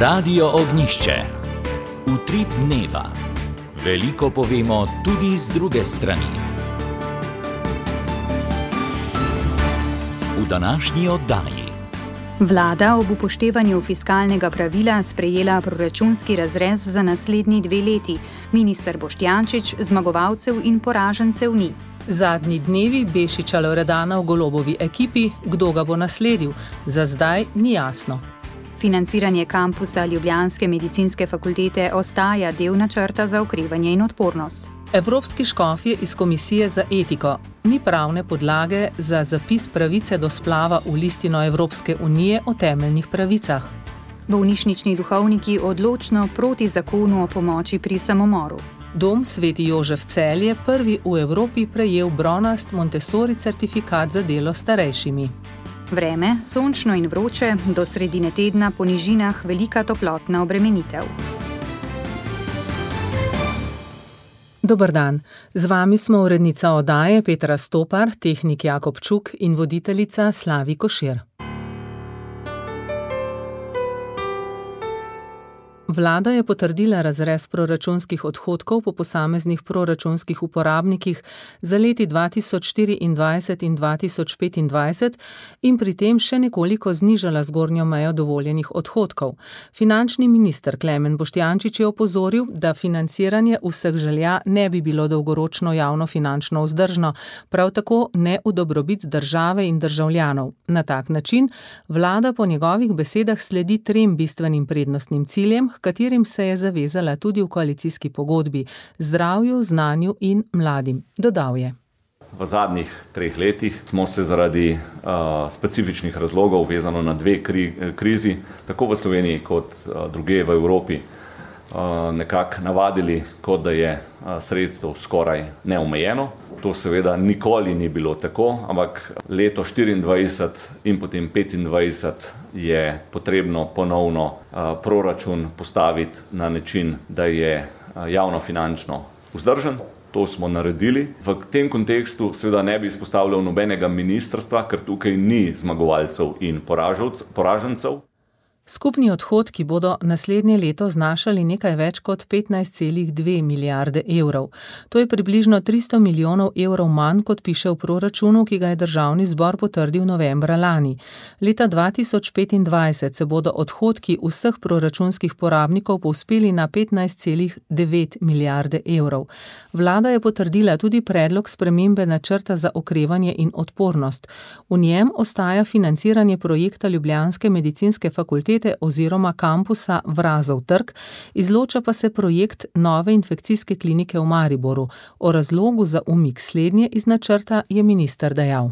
Radio Ognjišče. Utrip dneva. Veliko povemo tudi z druge strani. V današnji oddaji. Vlada ob upoštevanju fiskalnega pravila sprejela proračunski razrez za naslednji 2 leti. Minister Boštjančič zmagovalcev in poražencev ni. Zadnji dnevi Bešiča Loredana v Golobovi ekipi, kdo ga bo nasledil, za zdaj ni jasno. Financiranje kampusa Ljubljanske medicinske fakultete ostaja del načrta za okrevanje in odpornost. Evropski škofje iz Komisije za etiko. Ni pravne podlage za zapis pravice do splava v listino Evropske unije o temeljnih pravicah. Bolnišnični duhovniki odločno proti zakonu o pomoči pri samomoru. Dom Sveti Jožef Celje prvi v Evropi prejel bronast Montessori certifikat za delo s starejšimi. Vreme, sončno in vroče, do sredine tedna po nižinah velika toplotna obremenitev. Dober dan, z vami smo urednica oddaje Petra Stopar, tehnik Jakob Čuk in voditeljica Slavi Košir. Vlada je potrdila razrez proračunskih odhodkov po posameznih proračunskih uporabnikih za leti 2024 in 2025 in pri tem še nekoliko znižala zgornjo mejo dovoljenih odhodkov. Finančni minister Klemen Boštjančič je opozoril, da financiranje vseh želja ne bi bilo dolgoročno javnofinančno vzdržno, prav tako ne v dobrobit države in državljanov. Na tak način vlada po njegovih besedah sledi 3 bistvenim prednostnim ciljem, katerim se je zavezala tudi v koalicijski pogodbi: zdravju, znanju in mladim. Dodal je: V zadnjih 3 letih smo se zaradi specifičnih razlogov, vezano na 2 krizi, tako v Sloveniji kot drugje v Evropi, nekako navadili, kot da je sredstev skoraj neomejeno. To seveda nikoli ni bilo tako, ampak leto 24 in potem 25 je potrebno ponovno proračun postaviti na način, da je javnofinančno vzdržen. To smo naredili. V tem kontekstu seveda ne bi izpostavljal nobenega ministrstva, ker tukaj ni zmagovalcev in poražencev. Skupni odhodki bodo naslednje leto znašali nekaj več kot 15,2 milijarde evrov. To je približno 300 milijonov evrov manj, kot piše v proračunu, ki ga je državni zbor potrdil novembra lani. Leta 2025 se bodo odhodki vseh proračunskih porabnikov povzpeli na 15,9 milijarde evrov. Vlada je potrdila tudi predlog spremembe načrta za okrevanje in odpornost. V njem ostaja financiranje projekta Ljubljanske medicinske fakultete oziroma kampusa Vrazov trg, izloča pa se projekt nove infekcijske klinike v Mariboru. O razlogu za umik slednje iz načrta je minister dejal: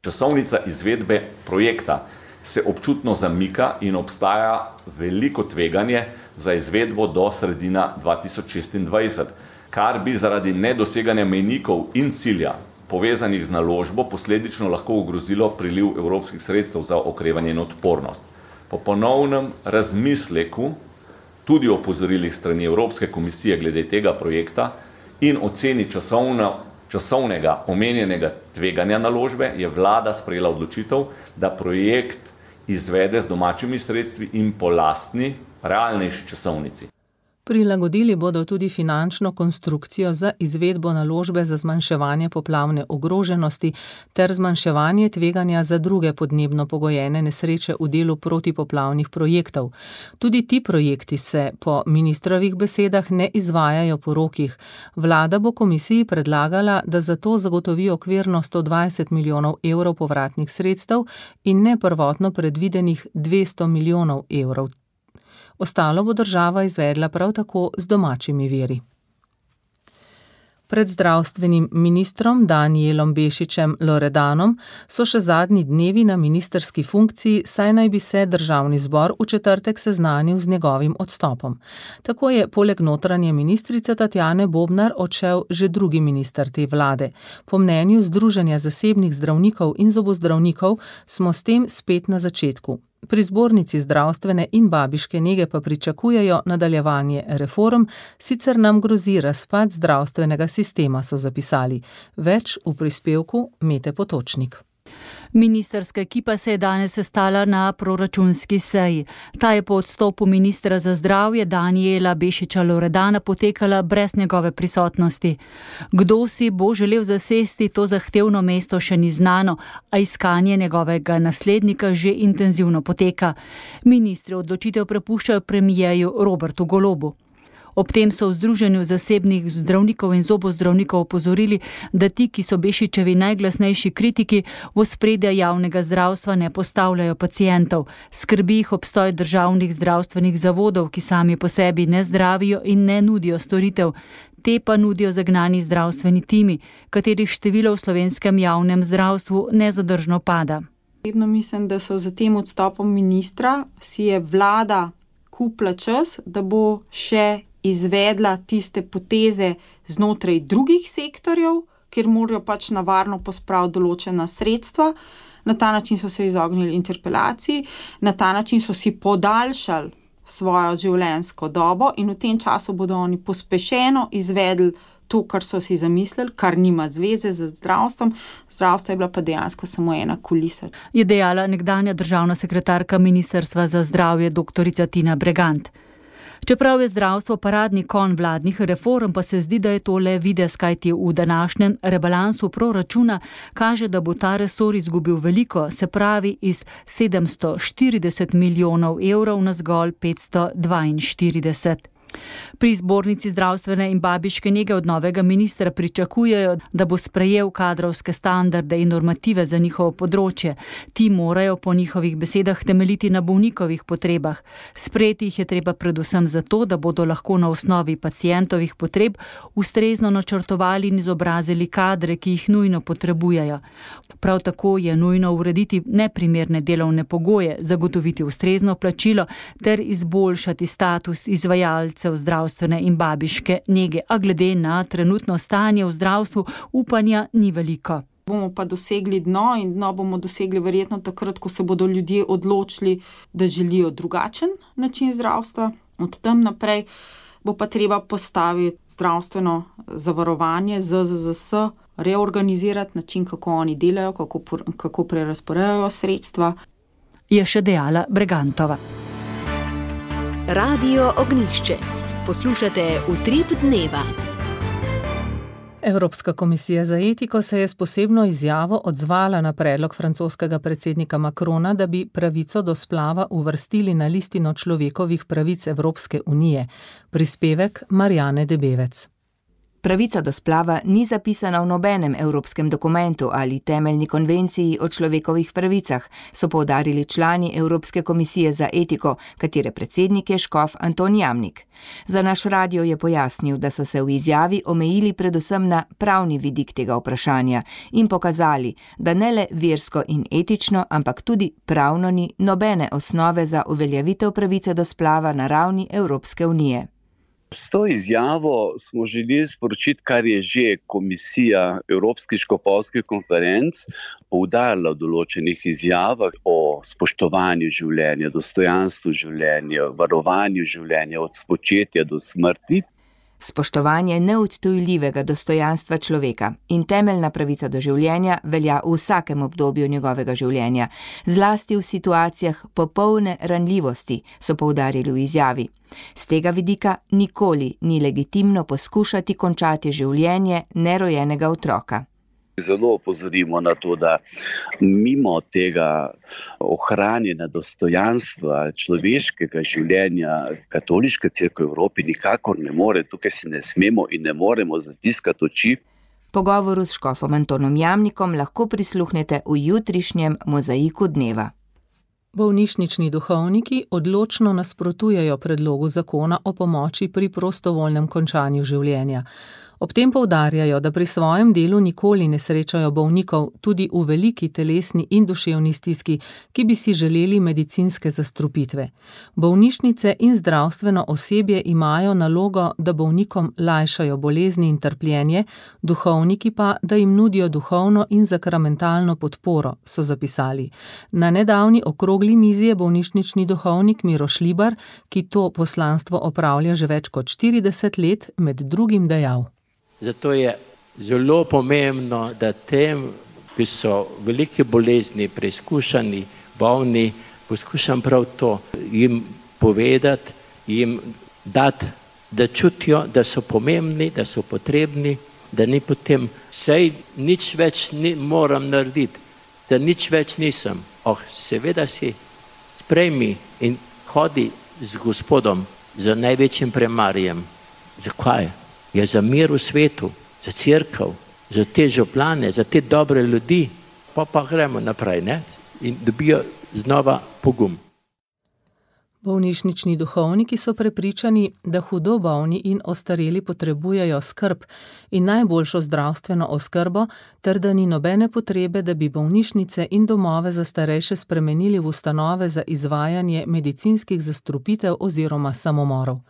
Časovnica izvedbe projekta se občutno zamika in obstaja veliko tveganje za izvedbo do sredina 2026, kar bi zaradi nedoseganja mejnikov in cilja povezanih z naložbo posledično lahko ogrozilo priliv evropskih sredstev za okrevanje in odpornost. Po ponovnem razmisleku, tudi opozorilih strani Evropske komisije glede tega projekta in oceni časovnega omenjenega tveganja naložbe, je vlada sprejela odločitev, da projekt izvede z domačimi sredstvi in po lastni, realnejši časovnici. Prilagodili bodo tudi finančno konstrukcijo za izvedbo naložbe za zmanjševanje poplavne ogroženosti ter zmanjševanje tveganja za druge podnebno pogojene nesreče v delu protipoplavnih projektov. Tudi ti projekti se po ministrovih besedah ne izvajajo po rokih. Vlada bo komisiji predlagala, da za to zagotovi okvirno 120 milijonov evrov povratnih sredstev in ne prvotno predvidenih 200 milijonov evrov. Ostalo bo država izvedla prav tako z domačimi viri. Pred zdravstvenim ministrom Danijelom Bešičem Loredanom so še zadnji dnevi na ministrski funkciji, saj naj bi se državni zbor v četrtek seznanil z njegovim odstopom. Tako je poleg notranje ministrice Tatjane Bobnar odšel že drugi minister te vlade. Po mnenju Združenja zasebnih zdravnikov in zobozdravnikov smo s tem spet na začetku. Pri zbornici zdravstvene in babiške nege pa pričakujejo nadaljevanje reform, sicer nam grozi razpad zdravstvenega sistema, so zapisali. Več v prispevku Mete Potočnik. Ministrska ekipa se je danes sestala na proračunski seji. Ta je po odstopu ministra za zdravje Danijela Bešiča Loredana potekala brez njegove prisotnosti. Kdo si bo želel zasesti to zahtevno mesto, še ni znano, a iskanje njegovega naslednika že intenzivno poteka. Ministri odločitev prepuščajo premierju Robertu Golobu. Ob tem so v Združenju zasebnih zdravnikov in zobozdravnikov opozorili, da ti, ki so Bešičevi najglasnejši kritiki, v ospredje javnega zdravstva ne postavljajo pacientov. Skrbi jih obstoj državnih zdravstvenih zavodov, ki sami po sebi ne zdravijo in ne nudijo storitev. Te pa nudijo zagnani zdravstveni timi, katerih število v slovenskem javnem zdravstvu nezadržno pada. Mislim, da so za tem odstopom ministra si je vlada kupila čas, da bo še izvedla tiste poteze znotraj drugih sektorjev, kjer morajo pač na varno pospraviti določena sredstva. Na ta način so se izognili interpelaciji, na ta način so si podaljšali svojo življenjsko dobo in v tem času bodo oni pospešeno izvedli to, kar so si zamislili, kar nima zveze z zdravstvom. Zdravstvo je bila pa dejansko samo ena kulisa. Je dejala nekdanja državna sekretarka Ministrstva za zdravje dr. Tina Bregant. Čeprav je zdravstvo paradni konj vladnih reform, pa se zdi, da je to le videz, kajti v današnjem rebalansu proračuna kaže, da bo ta resor izgubil veliko, se pravi iz 740 milijonov evrov na zgolj 542. Pri Zbornici zdravstvene in babiške nege od novega ministra pričakujejo, da bo sprejel kadrovske standarde in normative za njihovo področje. Ti morajo po njihovih besedah temeljiti na bolnikovih potrebah. Sprejeti jih je treba predvsem zato, da bodo lahko na osnovi pacientovih potreb ustrezno načrtovali in izobrazili kadre, ki jih nujno potrebujejo. Prav tako je nujno urediti neprimerne delovne pogoje, zagotoviti ustrezno plačilo ter izboljšati status izvajalcev zdravstvene in babiške nege, a glede na trenutno stanje v zdravstvu upanja ni veliko. Bomo pa dosegli dno in dno bomo dosegli verjetno takrat, ko se bodo ljudje odločili, da želijo drugačen način zdravstva. Od tam naprej bo pa treba postaviti zdravstveno zavarovanje, ZZZS, reorganizirati način, kako oni delajo, kako prerazporejajo sredstva. Je še dejala Bregantova. Radio Ognjišče. Poslušate Utrip dneva. Evropska komisija za etiko se je s posebno izjavo odzvala na predlog francoskega predsednika Macrona, da bi pravico do splava uvrstili na listino človekovih pravic Evropske unije. Prispevek Marjane Debevec. Pravica do splava ni zapisana v nobenem evropskem dokumentu ali temeljni konvenciji o človekovih pravicah, so poudarili člani Evropske komisije za etiko, katere predsednik je škof Anton Jamnik. Za naš radio je pojasnil, da so se v izjavi omejili predvsem na pravni vidik tega vprašanja in pokazali, da ne le versko in etično, ampak tudi pravno ni nobene osnove za uveljavitev pravice do splava na ravni Evropske unije. S to izjavo smo želeli sporočiti, kar je že komisija Evropskih škofovskih konferenc poudarila v določenih izjavah o spoštovanju življenja, dostojanstvu življenja, varovanju življenja od spočetja do smrti. Spoštovanje neodtujljivega dostojanstva človeka in temeljna pravica do življenja velja v vsakem obdobju njegovega življenja, zlasti v situacijah popolne ranljivosti, so poudarili v izjavi. Z tega vidika nikoli ni legitimno poskušati končati življenje nerojenega otroka. Zelo opozorimo na to, da mimo tega ohranjanja dostojanstva človeškega življenja Katoliška cerkev v Evropi nikakor ne more, tukaj si ne smemo in ne moremo zatiskati oči. Pogovoru s škofom Antonom Jamnikom lahko prisluhnete v jutrišnjem Mozaiku dneva. Bolnišnični duhovniki odločno nasprotujejo predlogu zakona o pomoči pri prostovoljnem končanju življenja. Ob tem poudarjajo, da pri svojem delu nikoli ne srečajo bolnikov tudi v veliki telesni in duševni stiski, ki bi si želeli medicinske zastrupitve. Bolnišnice in zdravstveno osebje imajo nalogo, da bolnikom lajšajo bolezni in trpljenje, duhovniki pa, da jim nudijo duhovno in sakramentalno podporo, so zapisali. Na nedavni okrogli mizi je bolnišnični duhovnik Miro Šlibar, ki to poslanstvo opravlja že več kot 40 let, med drugim dejal. Zato je zelo pomembno, da tem ki so velike bolezni, preizkušani, bolni, poskušam prav to jim povedati, jim dati, da čutijo, da so pomembni, da so potrebni, da ni potem sej nič več moram narediti, da nič več nisem. Seveda si sprejmi in hodi z Gospodom, za največjim premarjem. Zakaj? Je za mir v svetu, za cerkev, za te župlane, za te dobre ljudi, pa gremo naprej, ne? In dobijo znova pogum. Bolnišnični duhovniki so prepričani, da hudo bolni in ostareli potrebujejo skrb in najboljšo zdravstveno oskrbo, ter da ni nobene potrebe, da bi bolnišnice in domove za starejše spremenili v ustanove za izvajanje medicinskih zastrupitev oziroma samomorov.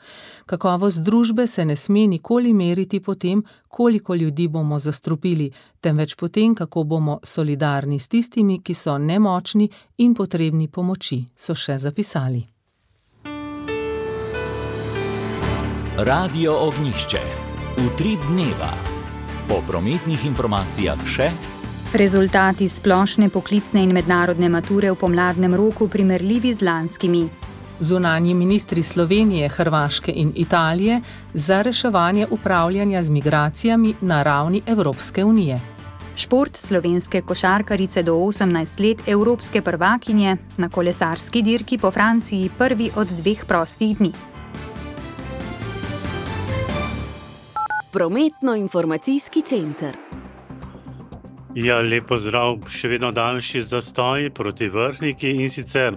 Kakovost družbe se ne sme nikoli meriti po tem, koliko ljudi bomo zastrupili, temveč po tem, kako bomo solidarni s tistimi, ki so nemočni in potrebni pomoči, so še zapisali. Radio Ognjišče. Utrip dneva. Po prometnih informacijah še: rezultati splošne poklicne in mednarodne mature v pomladnem roku primerljivi z lanskimi. Zunanji ministri Slovenije, Hrvaške in Italije za reševanje upravljanja z migracijami na ravni Evropske unije. Šport slovenske košarkarice do 18 let evropske prvakinje na kolesarski dirki po Franciji prvi od 2 prostih dni. Prometno-informacijski center. Ja, lep pozdrav, še vedno daljši zastoj proti Vrhniki in sicer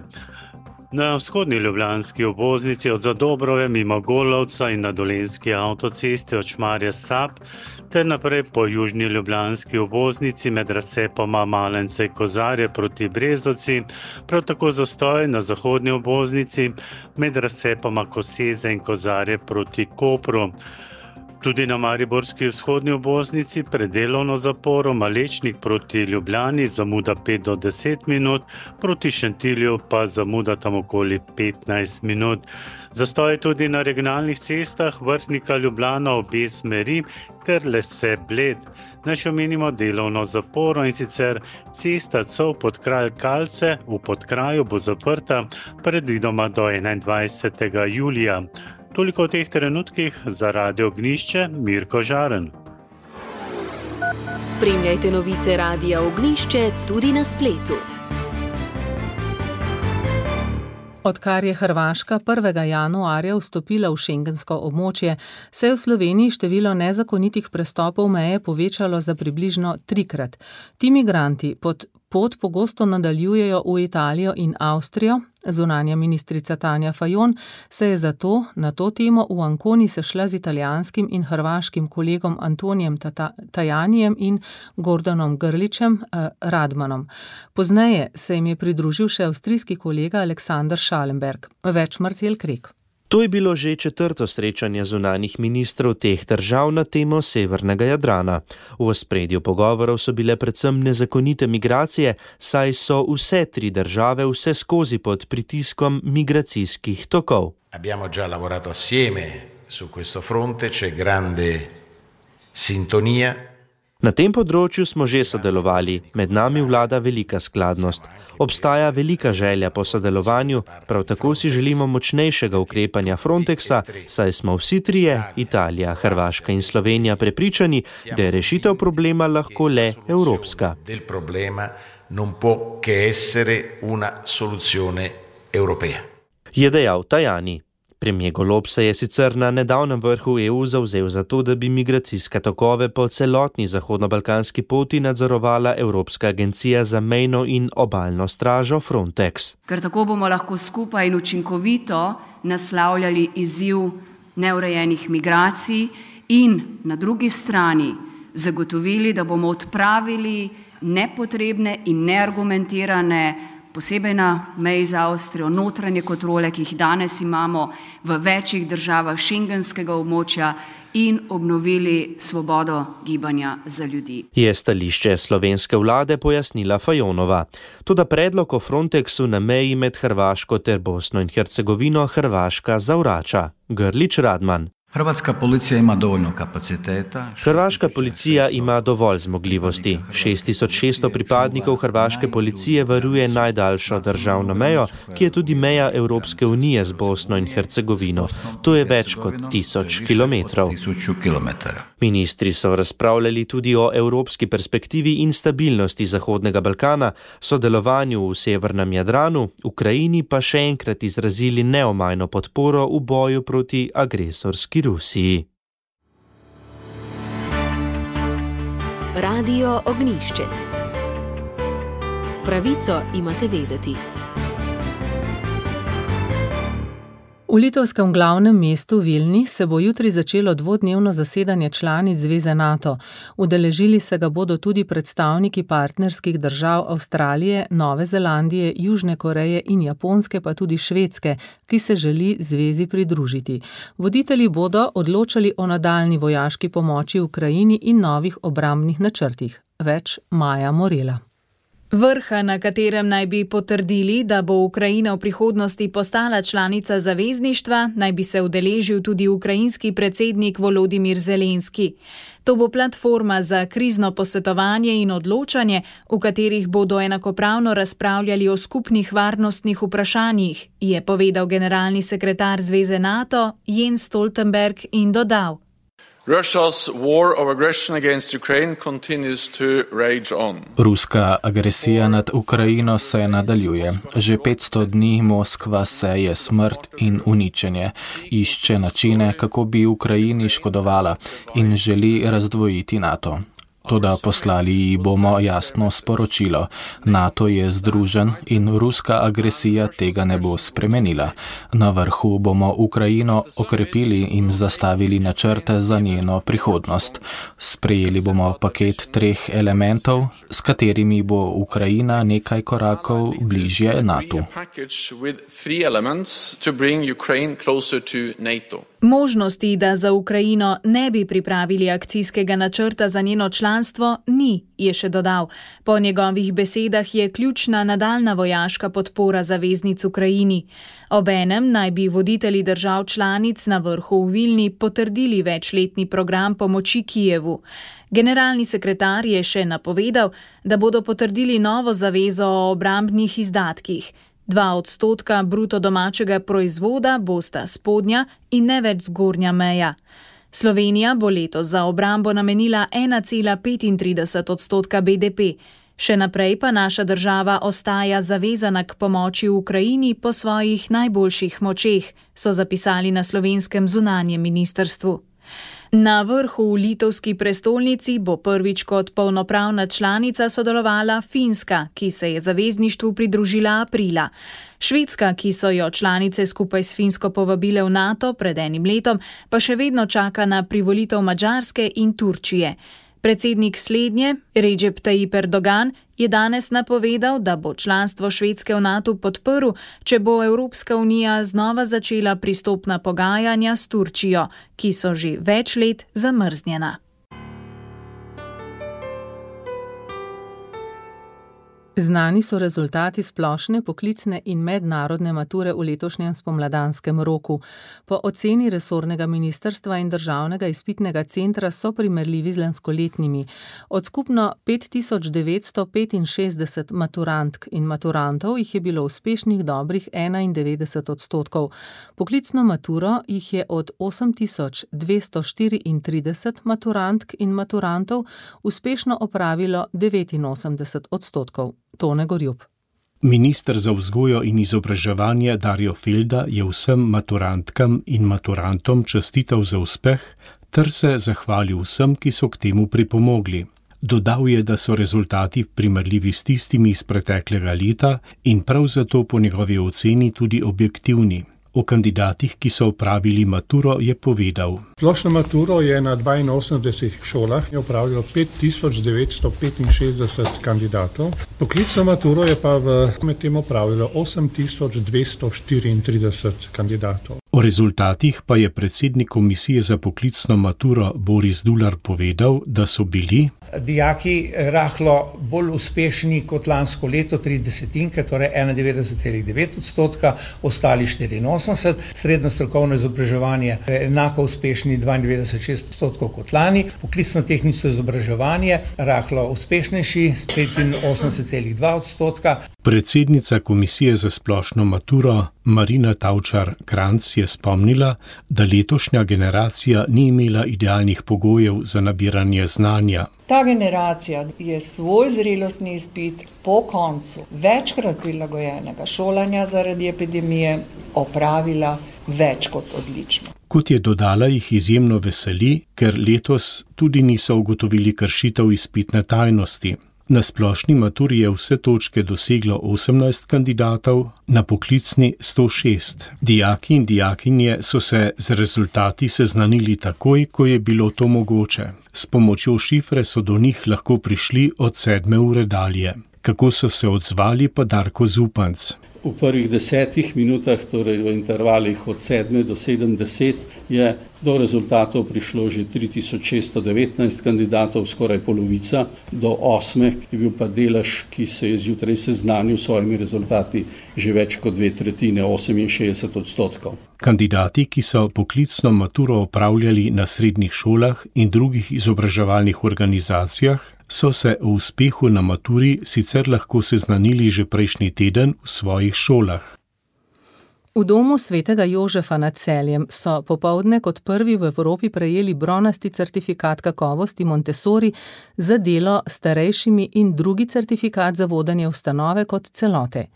na vzhodni ljubljanski obvoznici od Zadobrove mimo Golovca in na Dolenjski avtocesti od Šmarja-Sap ter naprej po južni ljubljanski obvoznici med razcepoma Malence in Kozarje proti Brezovci, prav tako zastoj na zahodni obvoznici med razcepoma Koseze in Kozarje proti Kopru. Tudi na mariborski vzhodni obvoznici pred delovno zaporo Malečnik proti Ljubljani zamuda 5 do 10 minut, proti Šentilju pa zamuda tam okoli 15 minut. Zastoj tudi na regionalnih cestah Vrhnika Ljubljana obe smeri ter Lese Bled. Naj še omenimo delovno zaporo in sicer cesta Cov Podkraj Kalce v Podkraju bo zaprta predvidoma do 21. julija. Toliko v teh trenutkih za Radio Ognjišče, Mirko Žaren. Spremljajte novice Radia Ognjišče tudi na spletu. Odkar je Hrvaška 1. januarja vstopila v šengensko območje, se je v Sloveniji število nezakonitih prestopov meje povečalo za približno 3-krat. Ti migranti pot pogosto nadaljujejo v Italijo in Avstrijo. Zunanja ministrica Tanja Fajon se je zato na to temo v Anconi sešla z italijanskim in hrvaškim kolegom Antonijem Tajanijem in Gordanom Grličem Radmanom. Pozneje se jim je pridružil še avstrijski kolega Aleksander Schallenberg. Več Marcel Krek. To je bilo že 4. srečanje zunanjih ministrov teh držav na temo severnega Jadrana. V ospredju pogovorov so bile predvsem nezakonite migracije, saj so vse 3 države vseskozi pod pritiskom migracijskih tokov. Abbiamo già lavorato assieme su questo fronte, c'è grande sintonia. Na tem področju smo že sodelovali, med nami vlada velika skladnost. Obstaja velika želja po sodelovanju, prav tako si želimo močnejšega ukrepanja Frontexa, saj smo vsi 3, Italija, Hrvaška in Slovenija, prepričani, da je rešitev problema lahko le evropska. Del problema non può che essere una soluzione europea. Je dejal Tajani. Premier Golob se je sicer na nedavnem vrhu EU zavzel za to, da bi migracijske tokove po celotni zahodno-balkanski poti nadzorovala Evropska agencija za mejno in obalno stražo Frontex. Ker tako bomo lahko skupaj in učinkovito naslavljali izziv neurejenih migracij in na drugi strani zagotovili, da bomo odpravili nepotrebne in neargumentirane posebej na meji z Avstrijo, notranje kontrole, ki jih danes imamo v večjih državah šengenskega območja in obnovili svobodo gibanja za ljudi. Je stališče slovenske vlade pojasnila Fajonova. Toda predlog o Frontexu na meji med Hrvaško ter Bosno in Hercegovino Hrvaška zavrača. Grlič Radman. Hrvatska policija ima dovoljno kapaciteta. Hrvaška policija ima dovolj zmogljivosti. 6600 pripadnikov hrvaške policije varuje najdaljšo državno mejo, ki je tudi meja Evropske unije z Bosno in Hercegovino. To je več kot 1000 kilometrov. Ministri so razpravljali tudi o evropski perspektivi in stabilnosti Zahodnega Balkana, sodelovanju v severnem Jadranu, Ukrajini pa še enkrat izrazili neomajno podporo v boju proti agresorski Rusiji. Radio Ognjišče. Pravico imate vedeti. V litovskem glavnem mestu Vilni se bo jutri začelo dvodnevno zasedanje članic Zveze NATO. Udeležili se ga bodo tudi predstavniki partnerskih držav Avstralije, Nove Zelandije, Južne Koreje in Japonske, pa tudi Švedske, ki se želi zvezi pridružiti. Voditelji bodo odločali o nadaljnji vojaški pomoči Ukrajini in novih obrambnih načrtih. Več Maja Morela. Vrha, na katerem naj bi potrdili, da bo Ukrajina v prihodnosti postala članica zavezništva, naj bi se udeležil tudi ukrajinski predsednik Volodimir Zelenski. To bo platforma za krizno posvetovanje in odločanje, v katerih bodo enakopravno razpravljali o skupnih varnostnih vprašanjih, je povedal generalni sekretar Zveze NATO Jens Stoltenberg in dodal. Ruska agresija nad Ukrajino se nadaljuje. Že 500 dni Moskva seje smrt in uničenje, išče načine, kako bi Ukrajini škodovala in želi razdvojiti NATO. Toda poslali ji bomo jasno sporočilo. NATO je združen in ruska agresija tega ne bo spremenila. Na vrhu bomo Ukrajino okrepili in zastavili načrte za njeno prihodnost. Sprejeli bomo paket 3 elementov, s katerimi bo Ukrajina nekaj korakov bližje NATO. Možnosti, da za Ukrajino ne bi pripravili akcijskega načrta za njeno članstvo, ni, je še dodal. Po njegovih besedah je ključna nadaljna vojaška podpora zaveznic Ukrajini. Obenem naj bi voditelji držav članic na vrhu v Vilni potrdili večletni program pomoči Kijevu. Generalni sekretar je še napovedal, da bodo potrdili novo zavezo o obrambnih izdatkih. 2% bruto domačega proizvoda bosta spodnja in ne več zgornja meja. Slovenija bo letos za obrambo namenila 1,35% BDP. Še naprej pa naša država ostaja zavezana k pomoči Ukrajini po svojih najboljših močeh, so zapisali na slovenskem zunanjem ministrstvu. Na vrhu v litovski prestolnici bo prvič kot polnopravna članica sodelovala Finska, ki se je zavezništvu pridružila aprila. Švedska, ki so jo članice skupaj s Finsko povabile v NATO pred enim letom, pa še vedno čaka na privolitev Madžarske in Turčije. Predsednik slednje, Recep Tayyip Erdogan, je danes napovedal, da bo članstvo Švedske v NATO podprl, če bo Evropska unija znova začela pristopna pogajanja s Turčijo, ki so že več let zamrznjena. Znani so rezultati splošne, poklicne in mednarodne mature v letošnjem spomladanskem roku. Po oceni resornega ministrstva in državnega izpitnega centra so primerljivi z lanskoletnimi. Od skupno 5965 maturantk in maturantov jih je bilo uspešnih dobrih 91%. Poklicno maturo jih je od 8234 maturantk in maturantov uspešno opravilo 89%. Tone Gorjup. Minister za vzgojo in izobraževanje Darjo Felda je vsem maturantkam in maturantom čestital za uspeh ter se zahvalil vsem, ki so k temu pripomogli. Dodal je, da so rezultati primerljivi s tistimi iz preteklega leta in prav zato po njegovi oceni tudi objektivni. O kandidatih, ki so opravili maturo, je povedal. Splošno maturo je na 82 šolah opravilo 5965 kandidatov. Poklicno maturo je pa med tem opravilo 8234 kandidatov. O rezultatih pa je predsednik Komisije za poklicno maturo Boris Dular povedal, da so bili dijaki rahlo bolj uspešni kot lansko leto, 30, torej 91,9%, ostali 84%, srednjo strokovno izobraževanje enako uspešni 92,6% kot lani, poklicno-tehnično izobraževanje rahlo uspešnejši s 85,2%. Predsednica Komisije za splošno maturo Marina Tavčar-Kranjc je spomnila, da letošnja generacija ni imela idealnih pogojev za nabiranje znanja. Ta generacija je svoj zrelostni izpit po koncu večkrat prilagojenega šolanja zaradi epidemije opravila več kot odlično. Kot je dodala, jih izjemno veseli, ker letos tudi niso ugotovili kršitev izpitne tajnosti. Na splošni maturi je vse točke doseglo 18 kandidatov, na poklicni 106. Dijaki in dijakinje so se z rezultati seznanili takoj, ko je bilo to mogoče. S pomočjo šifre so do njih lahko prišli od 7. ure dalje. Kako so se odzvali, pa Darko Zupanc. V prvih 10 minutah, torej v intervalih od 7 do 70, je do rezultatov prišlo že 3619 kandidatov, skoraj polovica, do 8, ki je bil pa delež, ki se je zjutraj seznanil s svojimi rezultati, že več kot 2/3, 68%. Kandidati, ki so poklicno maturo opravljali na srednjih šolah in drugih izobraževalnih organizacijah, so se o uspehu na maturi sicer lahko seznanili že prejšnji teden v svojih šolah. V domu svetega Jožefa nad Celjem so popoldne kot prvi v Evropi prejeli bronasti certifikat kakovosti Montessori za delo s starejšimi in drugi certifikat za vodenje ustanove kot celote.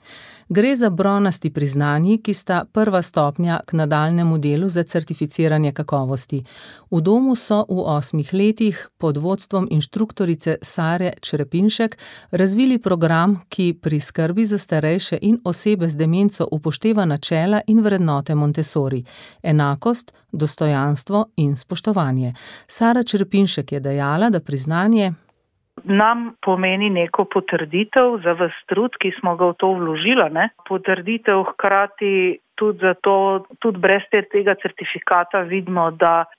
Gre za bronasti priznanji, ki sta prva stopnja k nadaljnemu delu za certificiranje kakovosti. V domu so v 8 letih pod vodstvom inštruktorice Sare Črepinšek razvili program, ki pri skrbi za starejše in osebe z demenco upošteva načela in vrednote Montessori: enakost, dostojanstvo in spoštovanje. Sara Črepinšek je dejala, da priznanje nam pomeni neko potrditev za ves trud, ki smo ga v to vložili. Potrditev hkrati tudi zato, tudi brez tega certifikata vidimo,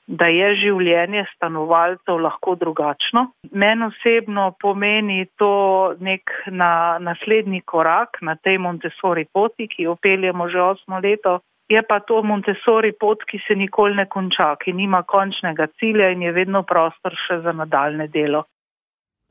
da je življenje stanovalcev lahko drugačno. Meni osebno pomeni to nek naslednji korak na tej Montessori poti, ki jo peljemo že 8 leto. Je pa to Montessori pot, ki se nikoli ne konča, ki nima končnega cilja in je vedno prostor še za nadaljne delo.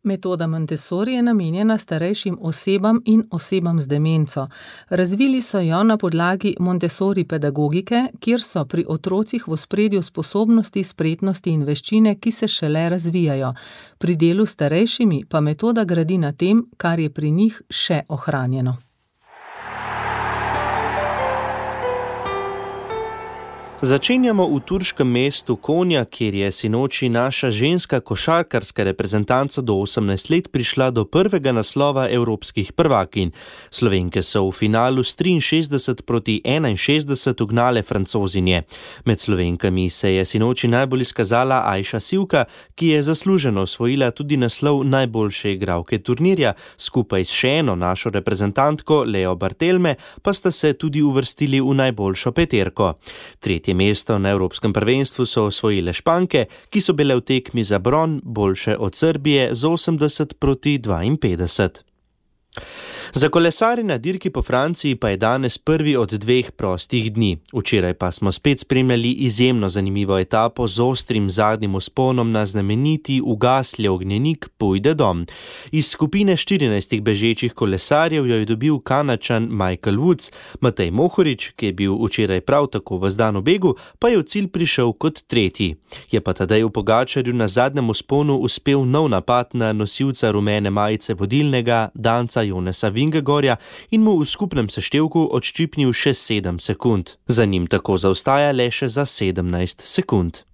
Metoda Montessori je namenjena starejšim osebam in osebam z demenco. Razvili so jo na podlagi Montessori pedagogike, kjer so pri otrocih v ospredju sposobnosti, spretnosti in veščine, ki se šele razvijajo. Pri delu s starejšimi pa metoda gradi na tem, kar je pri njih še ohranjeno. Začenjamo v turškem mestu Konja, kjer je sinoči naša ženska košarkarska reprezentanca do 18 let prišla do prvega naslova evropskih prvakinj. Slovenke so v finalu s 63-61 ugnale Francozinje. Med Slovenkami se je sinoči najbolj izkazala Ajša Sivka, ki je zasluženo osvojila tudi naslov najboljše igralke turnirja. Skupaj s še eno našo reprezentantko, Leo Bartelme, pa sta se tudi uvrstili v najboljšo peterko. Tretje mesto na Evropskem prvenstvu so osvojile Španke, ki so bile v tekmi za bron boljše od Srbije z 80-52. Za kolesarje na dirki po Franciji pa je danes prvi od 2 prostih dni. Včeraj pa smo spet spremljali izjemno zanimivo etapo z ostrim zadnjim vzponom na znameniti ugasli ognjenik Puy de Dôme. Iz skupine 14 bežečih kolesarjev jo je dobil Kanačan Michael Woods. Matej Mohorič, ki je bil včeraj prav tako v zdanu begu, pa je v cilj prišel kot tretji. Je pa Tadeju Pogačarju na zadnjem vzponu uspel nov napad na nosilca rumene majice vodilnega Danca Jonesa Vingegorja in mu v skupnem seštevku odščipnil še 7 sekund. Za njim tako zaostaja le še za 17 sekund.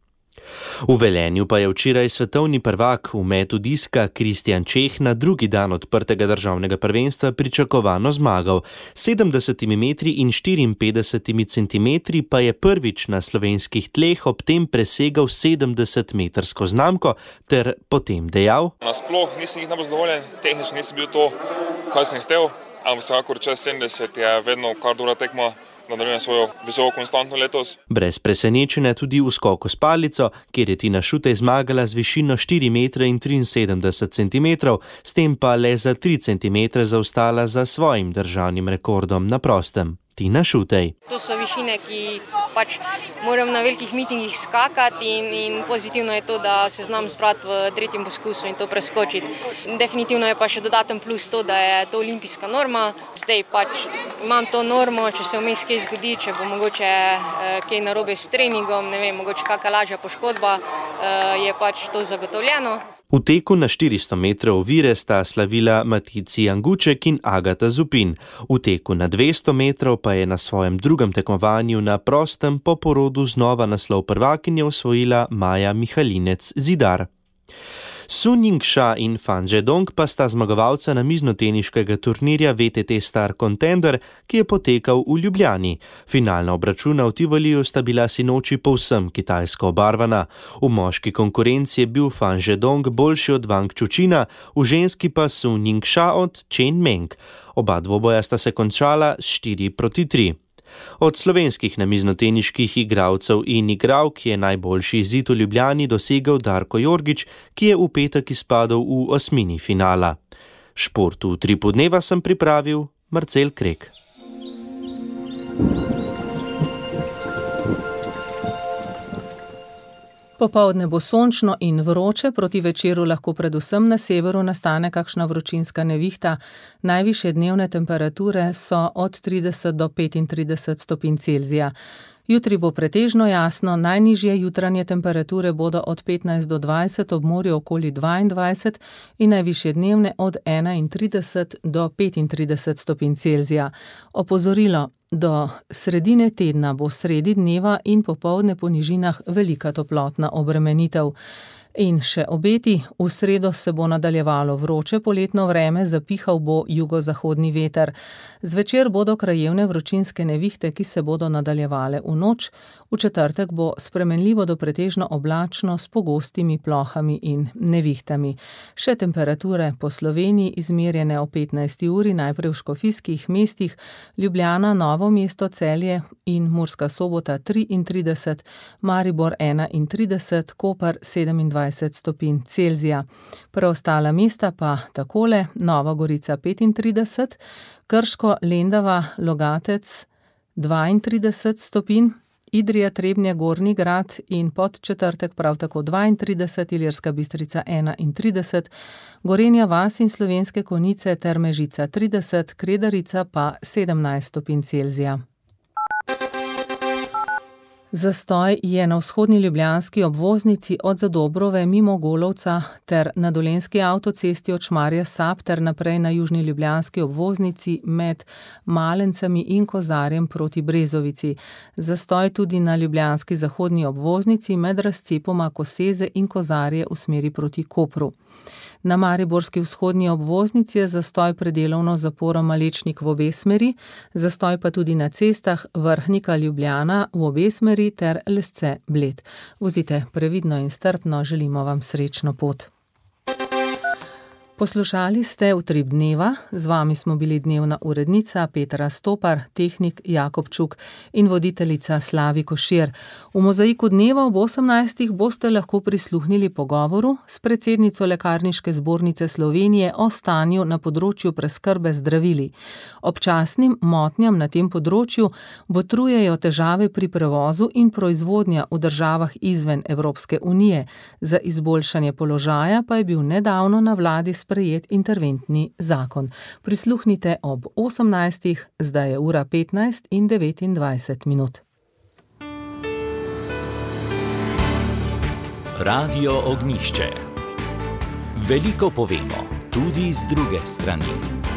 V Velenju pa je včeraj svetovni prvak v metu diska Kristjan Čeh na drugi dan odprtega državnega prvenstva pričakovano zmagal. 70 metri in 54 centimetri pa je prvič na slovenskih tleh ob tem presegal 70-metrsko znamko ter potem dejal: Nasploh nisem najbolj zadovoljen, tehnično nisem bil to, kaj sem htel, ampak vsekakor čez 70 je vedno kar dobra tekma. nadaljujem svojo visoko konstantno letos. Brez presenečenja tudi v skoku s palico, kjer je Tina Šutej zmagala z višino 4,73 m, s tem pa le za 3 cm zaostala za svojim državnim rekordom na prostem. Tina Šutej. To so višine, ki pač moram na velikih mitingih skakati in pozitivno je to, da se znam zbrati v 3. poskusu in to preskočiti. Definitivno je pa še dodaten plus to, da je to olimpijska norma. Zdaj pač imam to normo, če se vmes kaj zgodi, če bo mogoče kaj narobe s treningom, ne vem, mogoče kakšna lažja poškodba, je pač to zagotovljeno. V teku na 400 metrov ovire sta slavila Matici Janguček in Agata Zupin. V teku na 200 metrov pa je na svojem drugem tekmovanju na prostem po porodu znova naslov prvakinje osvojila Maja Mihalinec Zidar. Sun Ying-sha in Fan Zedong pa sta zmagovalca namiznoteniškega turnirja VTT Star Contender, ki je potekal v Ljubljani. Finalna obračuna v Tivoliju sta bila sinoči povsem kitajsko obarvana. V moški konkurenci je bil Fan Zedong boljši od Wang Chuqina, v ženski pa Sun Ying-sha od Chen Meng. Oba dvoboja sta se končala s 4-3. Od slovenskih namiznoteniških igralcev in igralk je najboljši izid v Ljubljani dosegel Darko Jorgič, ki je v petek izpadel v osmini finala. Šport v Utripu dneva sem pripravil Marcel Krek. Popoldne bo sončno in vroče, proti večeru lahko predvsem na severu nastane kakšna vročinska nevihta. Najvišje dnevne temperature so od 30 do 35 stopinj Celzija. Jutri bo pretežno jasno, najnižje jutranje temperature bodo od 15 do 20, ob morju okoli 22 in najvišje dnevne od 31 do 35 stopinj Celzija. Opozorilo: do sredine tedna bo sredi dneva in popoldne po nižinah velika toplotna obremenitev. In še obeti: v sredo se bo nadaljevalo vroče poletno vreme, zapihal bo jugozahodni veter. Zvečer bodo krajevne vročinske nevihte, ki se bodo nadaljevale v noč. V četrtek bo spremenljivo do pretežno oblačno s pogostimi plohami in nevihtami. Še temperature po Sloveniji izmerjene o 15. uri, najprej v škofijskih mestih: Ljubljana, Novo mesto, Celje in Murska Sobota 33, Maribor 31, Koper 27 stopinj Celzija. Preostala mesta pa takole: Nova Gorica 35, Krško, Lendava, Logatec 32 stopinj, Idrija, Trebnje, Gornji Grad in Podčetrtek prav tako 32, Ilirska Bistrica 31, Gorenja vas in Slovenske Konjice ter Mežica 30, Kredarica pa 17 stopinj Celzija. Zastoj je na vzhodni ljubljanski obvoznici od Zadobrove mimo Golovca ter na dolenjski avtocesti od Šmarja Sap ter naprej na južni ljubljanski obvoznici med Malencami in Kozarjem proti Brezovici. Zastoj tudi na ljubljanski zahodni obvoznici med razcepoma Koseze in Kozarje v smeri proti Kopru. Na mariborski vzhodni obvoznici je zastoj predelovno zaporo Malečnik v obe smeri, zastoj pa tudi na cestah Vrhnika Ljubljana v obe smeri ter Lesce Bled. Vozite previdno in strpno, želimo vam srečno pot. Poslušali ste Utrip dneva, z vami smo bili dnevna urednica Petra Stopar, tehnik Jakob Čuk in voditeljica Slavi Košir. V Mozaiku dneva ob 18. boste lahko prisluhnili pogovoru s predsednico Lekarniške zbornice Slovenije o stanju na področju preskrbe zdravili. Občasnim motnjam na tem področju botrujejo težave pri prevozu in proizvodnja v državah izven Evropske unije. Za izboljšanje položaja pa je bil nedavno na vladi sprejet interventni zakon. Prisluhnite ob 18. Zdaj je ura 15 in 29 minut. Radio Ognjišče. Veliko povemo, tudi z druge strani.